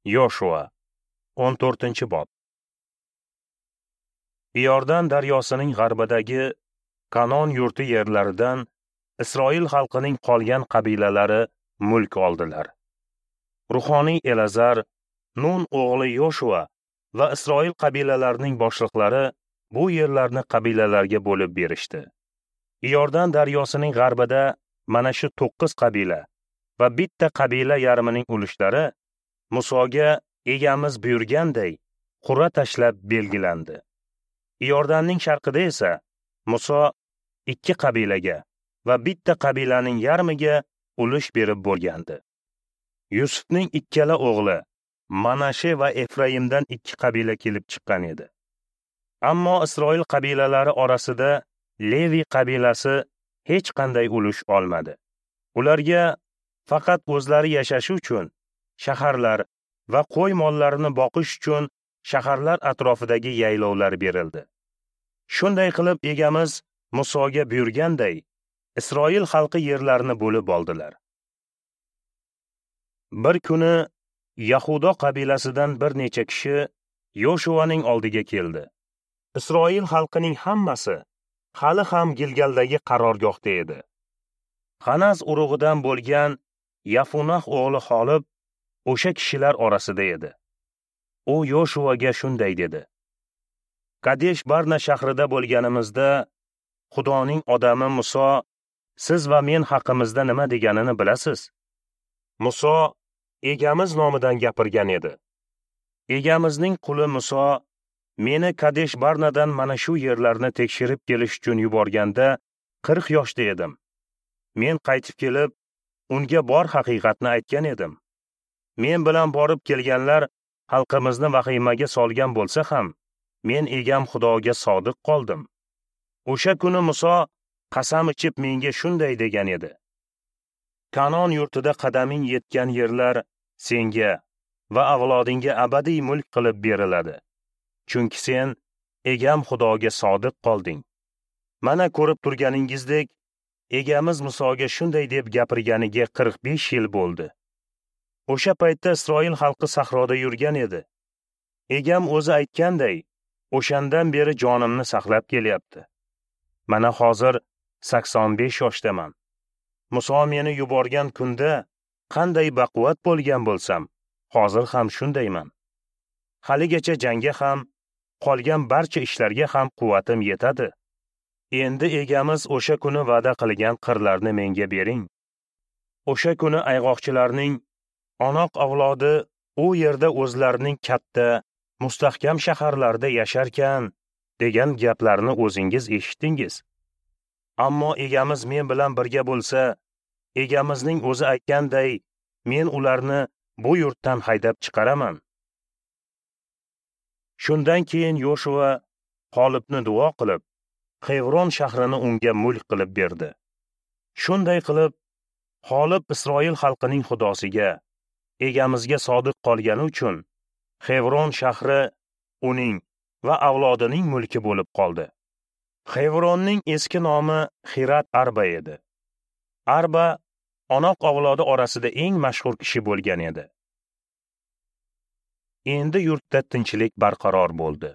Yoshua 14-bob. Iordan daryosining g'arbidagi Kanon yurti yerlaridan Isroil xalqining qolgan qabilalari mulk oldilar. Ruhoniy Elazar, Nun o'g'li Yoshua va Isroil qabilalarining boshliqlari bu yerlarni qabilalarga bo'lib berishdi. Iordan daryosining g'arbida mana shu 9 qabila va bitta qabila yarmining ulushlari Musoga egamiz buyurganday qur'a tashlab belgilandi. Iordanning sharqida esa Muso 2 qabilaga va bitta qabilaning yarmiga ulush berib bo'lgandi. Yusufning ikkala o'g'li Manashe va Efraimdan 2 qabila kelib chiqqan edi. Ammo Isroil qabilalari orasida Levi qabilasi hech qanday ulush olmadi. Ularga faqat o'zlari yashashi uchun shaharlar va qo'y mollarini boqish uchun shaharlar atrofidagi yaylovlar berildi. Shunday qilib egamiz Musoga buyurganday Isroil xalqi yerlarini bo'lib oldilar. Bir kuni Yahudo qabilasidan bir necha kishi Yoshuaning oldiga keldi. Isroil xalqining hammasi hali ham Gilgaldagi qarorgohda edi. Qanaz urug'idan bo'lgan Yafunah o'g'li Xolib o'sha kishilar orasida edi. U Yoshuaga shunday dedi: Kadesh Barna shahrida bo'lganimizda Xudoning odami Muso siz va men haqimizda nima deganini bilasiz. Muso egamiz nomidan gapirgan edi. Egamizning quli Muso meni Kadesh Barnadan mana shu yerlarni tekshirib kelish uchun yuborganda 40 yoshda edim. Men qaytib kelib, unga bor haqiqatni aytgan edim. Men bilan borib kelganlar xalqimizni vahimaga solgan bo'lsa ham, men egam Xudoga sodiq qoldim. O'sha kuni Muso qasam ichib menga shunday degan edi: Kanon yurtida qadaming yetgan yerlar senga va avlodingga abadiy mulk qilib beriladi. Chunki sen egam Xudoga sodiq qolding. Mana ko'rib turganingizdek, egamiz Musoga shunday deb gapirganiga 45 yil bo'ldi. O'sha paytda Isroil xalqi sahroda yurgan edi. Egam o'zi aytganday, o'shandan beri jonimni saqlab kelyapti. Mana hozir 85 yoshdaman. Muso meni yuborgan kunda qanday baquvvat bo'lgan bo'lsam, hozir ham shundayman. Haligacha jangga ham, qolgan barcha ishlarga ham quvvatim yetadi. Endi egamiz o'sha kuni va'da qilgan qirlarni menga bering. O'sha kuni ayg'oqchilarning Onoq avlodi u yerda o'zlarining katta, mustahkam shaharlarida yasharkan degan gaplarni o'zingiz eshitdingiz. Ammo egamiz men bilan birga bo'lsa, egamizning o'zi aytganday, men ularni bu yurtdan haydab chiqaraman. Shundan keyin Yoshua Xolibni duo qilib, Xevron shahrini unga mulk qilib berdi. Shunday qilib, Xolib Isroil xalqining Xudosiga, egamizga sodiq qolgani uchun Xevron shahri uning va avlodining mulki bo'lib qoldi. Xevronning eski nomi Xirat Arba edi. Arba Onoq avlodi orasida eng mashhur kishi bo'lgan edi. Endi yurtda tinchlik barqaror bo'ldi.